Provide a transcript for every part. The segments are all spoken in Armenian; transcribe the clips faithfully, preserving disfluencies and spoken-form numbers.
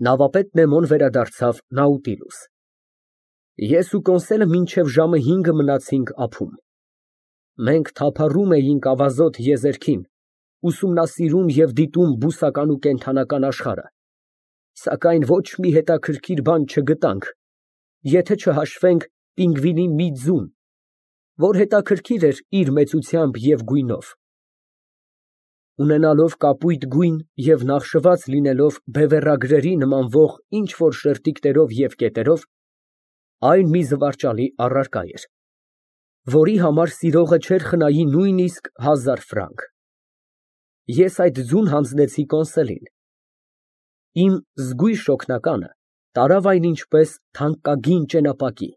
Նավապետ Նեմոն վերադարձավ Նաուտիլուս։ Ես ու Կոնսելը մինչև ժամը հինգը մնացինք ափում։ Մենք թափառում էինք ավազոտ եզերքին, ուսումնասիրում և դիտում բուսական ու կենդանական աշխարհը, սակայն ոչ մի հետաքրքիր բան չգտանք, եթե չհաշվենք պինգվինի մի ձուն, որ հետաքրքիր էր իր մեծությամբ և գույնով։ Ունենալով կապույտ գույն և նախշված լինելով բևեռագրերի նմանվող ինչ֊որ շերտիկներով և կետերով, այն մի զվարճալի առարկա էր, որի համար սիրողը չէր խնայի նույնիսկ հազար ֆրանկ։ Ես այդ ձուն հանձնեցի Կոնսելին։ Իմ զգույշ օգնականը տարավ այն ինչպես թանկագին ճենապակի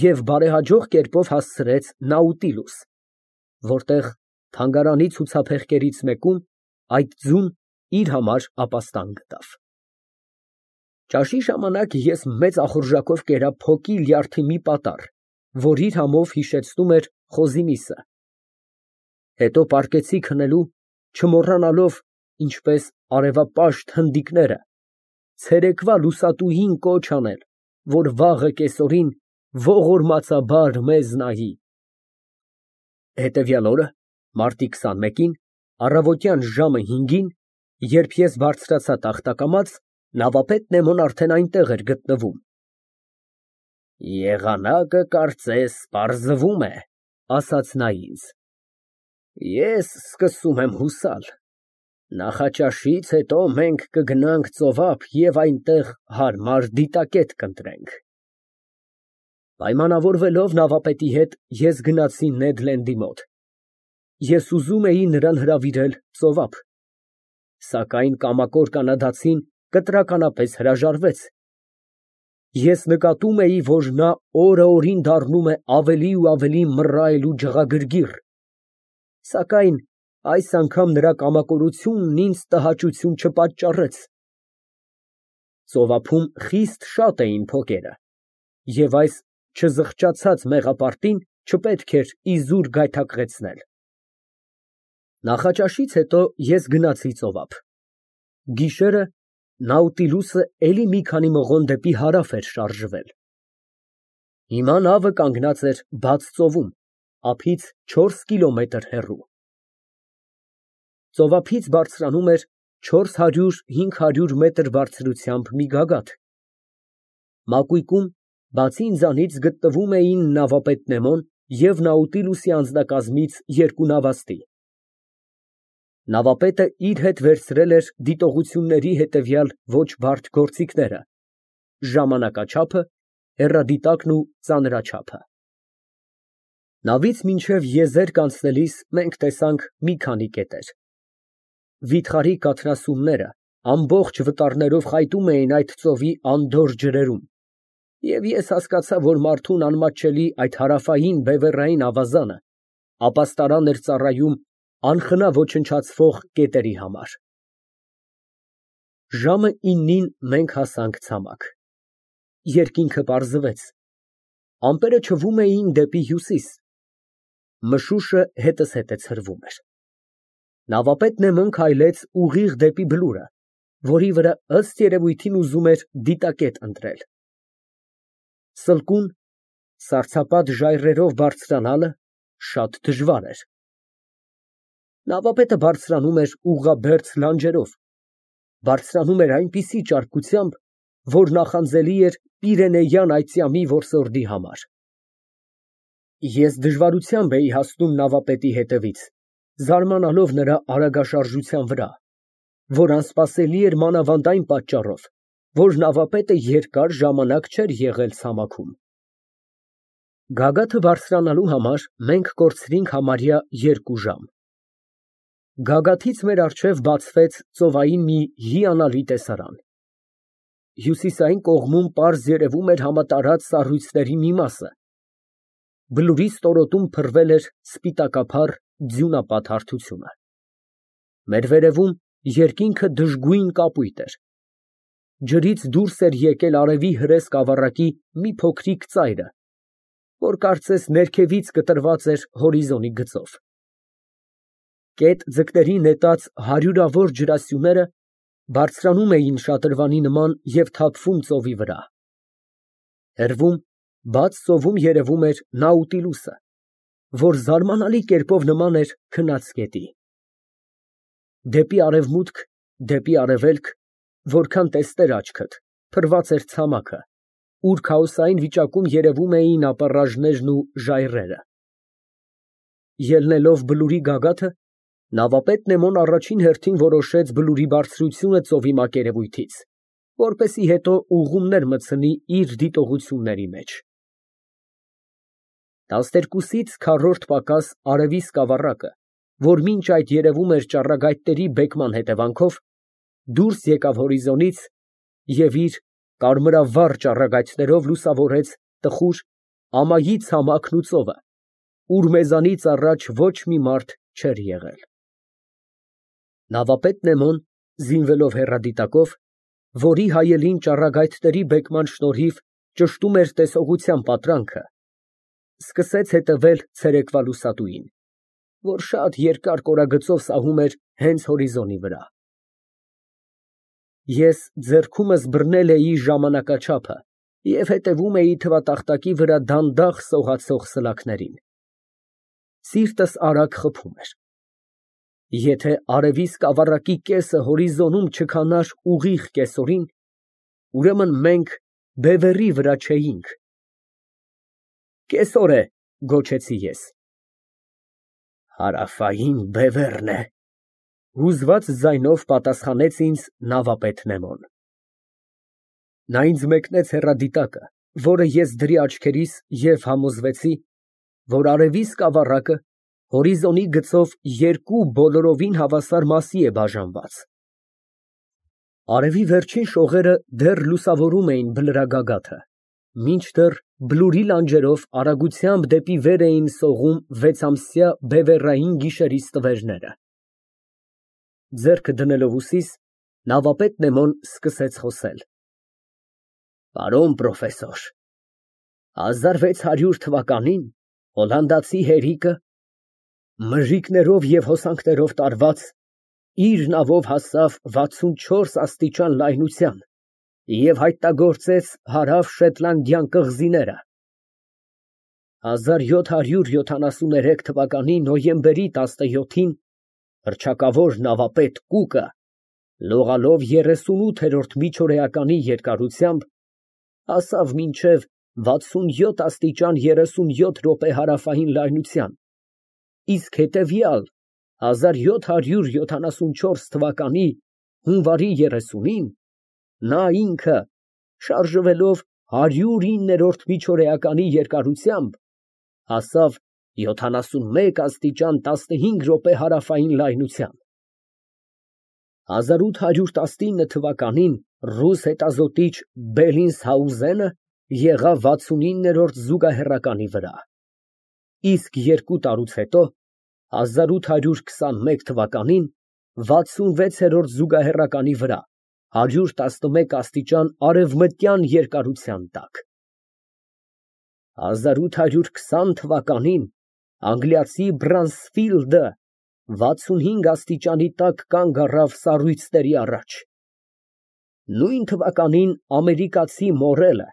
և բարեհաջող կերպով հասցրեց Նաուտիլուս, որտեղ թանգարանի ցուցափեղկերից մեկում այդ ձուն իր համար ապաստան գտավ։ Ճաշի ժամանակ ես մեծ ախորժակով կերա փոկի լյարդի մի պատառ, որ իր համով հիշեցնում էր խոզի միսը։ Հետո պառկեցի քնելու, չմոռանալով, ինչպես արևապաշտ հնդիկները, ցերեկվա լուսատուին կոչ անել, որ վաղը կեսօրին ողորմածաբար մեզ նայի։ Հետևյալ օրը, մարտի քսանմեկին, առավոտյան ժամը հինգին, երբ ես բարձրացա տախտակամաց, նավապետ Նեմոն արդեն այնտեղ էր գտնվում։ Եղանակը, կարծես, պարզվում է, ասաց նա ինձ։ Ես սկսում եմ հուսալ, նախաճաշից հետո մենք կգնանք ծովափ և այնտեղ հարմար դիտակետ կընտրենք։ Պայմանավորվելով նավապետի հետ, ես գնացի Նեդ Լենդի մոտ։ Ես ուզում էի նրան հրավիրել ծովափ, սակայն կամակոր կանադացին կտրականապես հրաժարվեց։ Ես նկատում էի, որ նա օրը օրին դառնում է ավելի ու ավելի մռայլ ու ջղագրգիռ, սակայն այս անգամ նրա կամակորությունն ինձ տհաճություն չպատճառեց։ Ծովափում խիստ շատ էին փոկերը, և այս չզղջացած մեղապարտին չպետք էր իզուր գայթակղեցնել։ Նախաճաշից հետո ես գնացի ծովափ։ Գիշերը Նաուտիլուսը էլի մի քանի մղոն դեպի հարավ էր շարժվել։ Հիմա նավը կանգնած էր բաց ծովում, ափից չորս կիլոմետր հեռու։ Ծովափից բարձրանում էր չորս հարյուր հինգ հարյուր մետր բարձրությամբ մի գագաթ։ Մակույկում, բացի ինձանից, գտնվում էին նավապետ Նեմոն և Նաուտիլուսի անձնակազմից երկու նավաստի։ Նավապետը իր հետ վերցրել էր դիտողությունների հետևյալ ոչ բարդ գործիքները՝ ժամանակաչափը, հեռադիտակն ու ծանրաչափը։ Նավից մինչև եզերք անցնելիս մենք տեսանք մի քանի կետեր։ Վիթխարի կաթնասունները ամբողջ վտարներով խայտում էին այդ ծովի անդորր ջրերում, և ես հասկացա, որ մարդուն անմատչելի այդ հարավային բևեռային ավազանը ապաստարան էր ծառայում անխնա ոչնչացվող կետերի համար։ Ժամը իննին մենք հասանք ցամաք։ Երկինքը պարզվեց, ամպերը չվում էին դեպի հյուսիս, մշուշը հետզհետե ցրվում էր։ Նավապետ Նեմոն քայլեց ուղիղ դեպի բլուրը, որի վրա ըստ երևույթին ուզում էր դիտակետ ընտրել։ Սլկուն, սառցապատ ժայռերով բարձրանալը շատ դժվար էր։ Նավապետը բարձրանում էր ուղղաբերձ լանջերով, բարձրանում էր այնպիսի ճարպկությամբ, որ նախանձելի էր Պիրենեյան այծյամի որսորդի համար։ Ես դժվարությամբ էի հասնում նավապետի հետևից, զարմանալով նրա արագաշարժության վրա, որ անսպասելի էր մանավանդ այն պատճառով, որ նավապետը երկար ժամանակ չէր եղել ցամաքում։ Գագաթը բարձրանալու համար մենք կորցրինք համարյա երկու ժամ։ Գագաթից մեր առջև բացվեց ծովային մի հիանալի տեսարան։ Հյուսիսային կողմում պարզ երևում էր համատարած սառույցների մի մասը։ Բլուրի ստորոտում փռվել էր սպիտակափառ ձյունապատ հարթությունը։ Մեր վերևում երկինքը դժգույն կապույտ էր։ Ջրից դուրս էր եկել արևի հրե սկավառակի մի փոքրիկ ծայրը, որ կարծես ներքևից կտրված էր հորիզոնի գծով։ Կետ ձկների նետած հարյուրավոր ջրասյուները Բարձրանում էին շատրվանի նման և թափվում ծովի վրա։ Հեռվում, բաց ծովում երևում էր Նաուտիլուսը, որ զարմանալի կերպով նման էր քնած գետի։ Դեպի արևմուտք, դեպի արևելք, որքան տեսներ աչքդ, փռված էր ցամաքը, ուր քաոսային վիճակում երևում էին ապառաժներն ու ժայռերը։ Ելնելով բլուրի գագաթը, նավապետ Նեմոն առաջին հերթին որոշեց բլուրի բարձրությունը ծովի մակերևույթից, որպեսզի հետո ուղղումներ մտցնի իր դիտողությունների մեջ։ Տասներկուսից քառորդ պակաս արևի սկավառակը, որ մինչ այդ երևում էր ճառագայթների բեկման հետևանքով, դուրս եկավ հորիզոնից և իր կարմրավառ ճառագայթներով լուսավորեց տխուր, ամայի ցամաքն ու ծովը, ուր մեզանից առաջ ոչ մի մարդ չէր եղել։ Նավապետ Նեմոն, զինվելով հեռադիտակով, որի հայելին ճառագայթների բեկման շնորհիվ ճշտում էր տեսողության պատրանքը, սկսեց հետևել ցերեկվա լուսատուին, որ շատ երկար կորագծով սահում էր հենց հորիզոնի վրա։ Ես ձեռքումս բռնել էի ժամանակաչափը և հետևում էի թվատախտակի վրա դանդաղ սողացող սլաքներին։ Սիրտս արագ խփում էր։ Եթե արևի սկավառակի կեսը հորիզոնում չքանար ուղիղ կեսօրին, ուրեմն մենք բևեռի վրա չէինք։ Կեսօր է, գոչեցի ես։ Հարավային բևեռն է, հուզված ձայնով պատասխանեց ինձ նավապետ Նեմոն։ Նա ինձ մեկնեց հեռադիտակը, որը ես դրի աչքերիս և համոզվեցի, որ արևի սկավառակը հորիզոնի գծով երկու բոլորովին հավասար մասի է բաժանված։ Արևի վերջին շողերը դեռ լուսավորում էին բլրագագաթը, մինչդեռ բլուրի լանջերով արագությամբ դեպի վեր էին սողում վեցամսյա բևեռային գիշերի ստվերները։ Ձեռքը դնելով ուսիս, նավապետ Նեմոն սկսեց խոսել. Պարոն պրոֆեսոր, հազար վեց հարյուր թվականին հոլանդացի հերիկը, մրրիկներով և հոսանքներով տարված, իր նավով հասավ վաթսունչորս աստիճան լայնության և հայտնագործեց Հարավ Շետլանդյան կղզիները։ հազար յոթ հարյուր յոթանասուներեք թվականի նոյեմբերի տասնյոթին հռչակավոր նավապետ Կուկը, լողալով երեսունութերորդ միջօրեականի երկարությամբ, հասավ մինչև վաթսունյոթ աստիճան երեսունյոթ րոպե հարավային լայնության, իսկ հետևյալ հազար յոթ հարյուր յոթանասունչորս թվականի հունվարի երեսունին նա ինքը, շարժվելով հարյուրիններորդ միջօրեականի երկարությամբ, հասավ յոթանասունմեկ աստիճան տասնհինգ րոպե հարավային լայնության։ հազար ութ հարյուր տասնինը թվականին ռուս հետազոտիչ Բելինսհաուզենը եղավ վաթսունիններորդ զուգահեռականի վրա, իսկ երկու տարուց հետո, հազար ութ հարյուր քսանմեկ թվականին, վաթսունվեցերորդ զուգահեռականի վրա, հարյուր տասնմեկ աստիճան արևմտյան երկարության տակ։ հազար ութ հարյուր քսան թվականին անգլիացի Բրանսֆիլդը վաթսունհինգ աստիճանի տակ կանգ առավ սառույցների առաջ։ Նույն թվականին ամերիկացի Մորելը,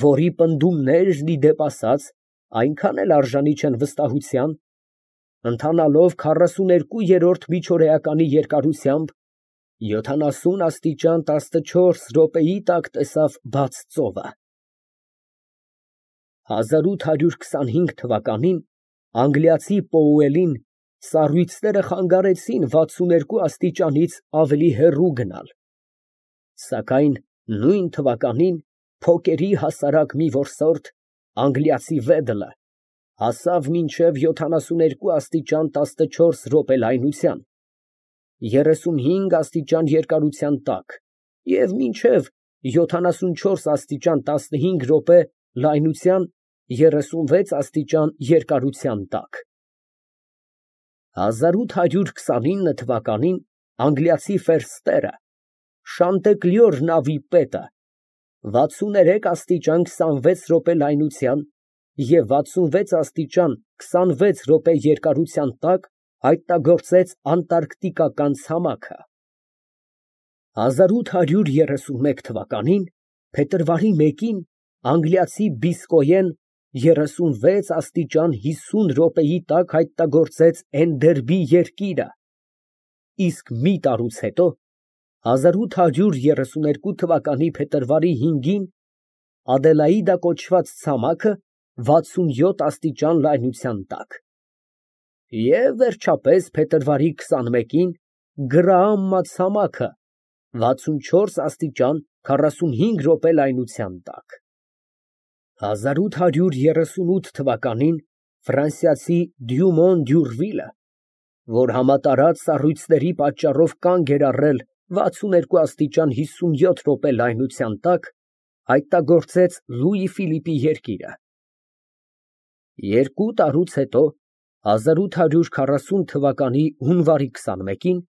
որի պնդումներն, ի դեպ ասած, այնքան էլ արժանի չեն վստահության, ընթանալով քառասուներկուերորդ միջօրեականի երկարությամբ, յոթանասուն աստիճան տասնչորս րոպեի տակ տեսավ բաց ծովը։ հազար ութ հարյուր քսանհինգ թվականին անգլիացի Պոուելին սառույցները խանգարեցին վաթսուներկու աստիճանից ավելի հեռու գնալ, սակայն նույն թվականին փոկերի հասարակ մի որսորդ, անգլիացի Վեդլը, հասավ մինչև յոթանասուներկու աստիճան տասնչորս րոպե լայնության, երեսունհինգ աստիճան երկարության տակ և մինչև յոթանասունչորս աստիճան տասնհինգ րոպե լայնության երեսունվեց աստիճան երկարության տակ։ հազար ութ հարյուր քսանինը թվականին անգլիացի Ֆերստերը, Շանտեկլյոր նավի պետը, վաթսուներեք աստիճան քսանվեց րոպե լայնության և վաթսունվեց աստիճան քսանվեց րոպե երկարության տակ հայտնագործեց անտարկտիկական ցամաքը։ հազար ութ հարյուր երեսունմեկ թվականին փետրվարի մեկին անգլիացի Բիսկոյեն երեսունվեց աստիճան հիսուն րոպեի տակ հայտնագործեց Էնդերբի երկիրը, իսկ մի տարուց հետո հազար ութ հարյուր երեսուներկու թվականի փետրվարի հինգին Ադելաիդա կոչված ցամաքը վաթսունյոթ աստիճան լայնության տակ, և վերջապես փետրվարի քսանմեկին Գրաամմա ցամաքը վաթսունչորս աստիճան քառասունհինգ րոպե լայնության տակ։ հազար ութ հարյուր երեսունութ թվականին ֆրանսիացի Դյումոն Դյուրվիլը, որ համատարած սառույցների պատճառով կանգ էր առել վաթսուներկու աստիճան հիսունյոթ րոպե լայնության տակ, հայտնագործեց Լուի Ֆիլիպի երկիրը։ Երկու տարուց հետո հազար ութ հարյուր քառասուն թվականի հունվարի քսանմեկին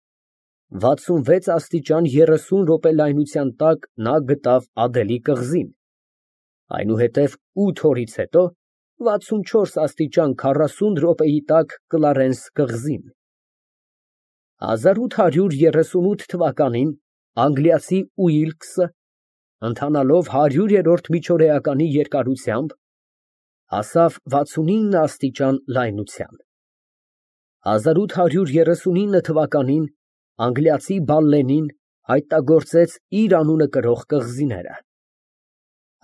վաթսունվեց աստիճան երեսուն րոպե լայնության տակ նա գտավ Ադելի կղզին, այնուհետև ութ օրից հետո վաթսունչորս աստիճան քառասուն րոպեի տակ Կլարենս կղզին։ հազար ութ հարյուր երեսունութ թվականին անգլիացի Ուիլքսը, ընթանալով հարյուրերորդ միջօրեականի երկարությամբ, հասավ վաթսունինը աստիճան լայնության։ հազար ութ հարյուր երեսունինը թվականին անգլիացի Բալլենին հայտնագործեց իր անունը կրող կղզիները։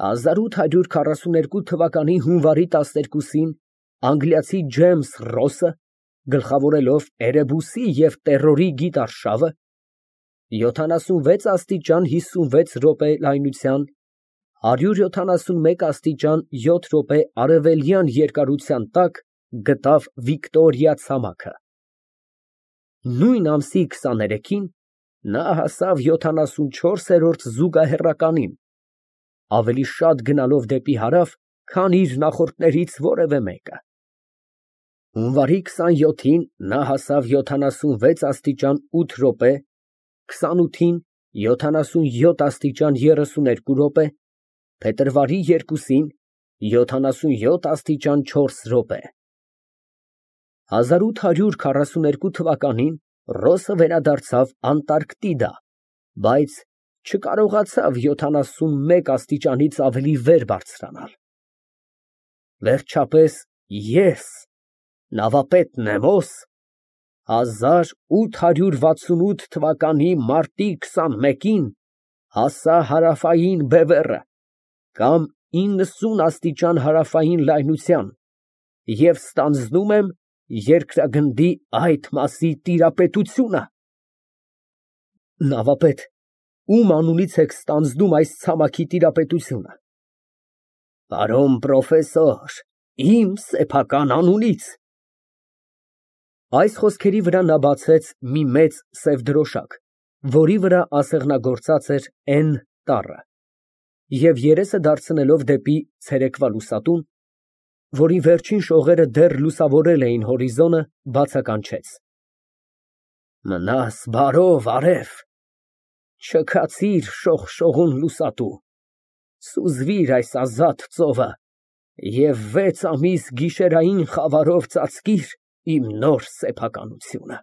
հազար ութ հարյուր քառասուներկու թվականի հունվարի տասներկուսին անգլիացի Ջեյմս Ռոսը, գլխավորելով Էրեբուսի և Տերորի գիտարշավը, յոթանասունվեց աստիճան հիսունվեց րոպե լայնության, հարյուր յոթանասունմեկ աստիճան յոթ րոպե արևելյան երկարության տակ գտավ Վիկտորիա ցամաքը։ Նույն ամսի քսաներեքին նա հասավ յոթանասունչորսերորդ զուգահեռականին, ավելի շատ գնալով դեպի հարավ, քան իր նախորդներից որևէ մեկը։ Հունվարի քսանյոթին նա հասավ յոթանասունվեց աստիճան ութ րոպե, քսանութին յոթանասունյոթ աստիճան երեսուներկու րոպե, փետրվարի երկուսին յոթանասունյոթ աստիճան չորս րոպե։ հազար ութ հարյուր քառասուներկու թվականին Ռոսը վերադարձավ Անտարկտիդա, բայց չկարողացավ յոթանասունմեկ աստիճանից ավելի վեր բարձրանալ։ Վերջապես ես, նավապետ Նեմոս, հազար ութ հարյուր վաթսունութ թվականի մարտի քսանմեկին հասա հարավային բևեռը, կամ իննսուն աստիճան հարավային լայնության և ստանձնում եմ երկրագնդի այդ մասի տիրապետությունը։ Նավապետ, ո՞ւմ անունից եք ստանձնում այս ցամաքի տիրապետությունը։ Պարոն պրոֆեսոր, իմ սեփական անունից։ Այս խոսքերի վրա նա բացեց մի մեծ սև դրոշակ, որի վրա ասեղնագործած էր Էն տառը, և երեսը դարձնելով դեպի ցերեկվա լուսատուն, որի վերջին շողերը դեռ լուսավորել էին հորիզոնը, բացականչեց. Մնաս բարով, արև, չքացիր շողշողուն լուսատու, սուզվիր այս ազատ ծովը և վեց ամիս գիշերային խավարով ծածկիր իմ նոր սեփականությունը։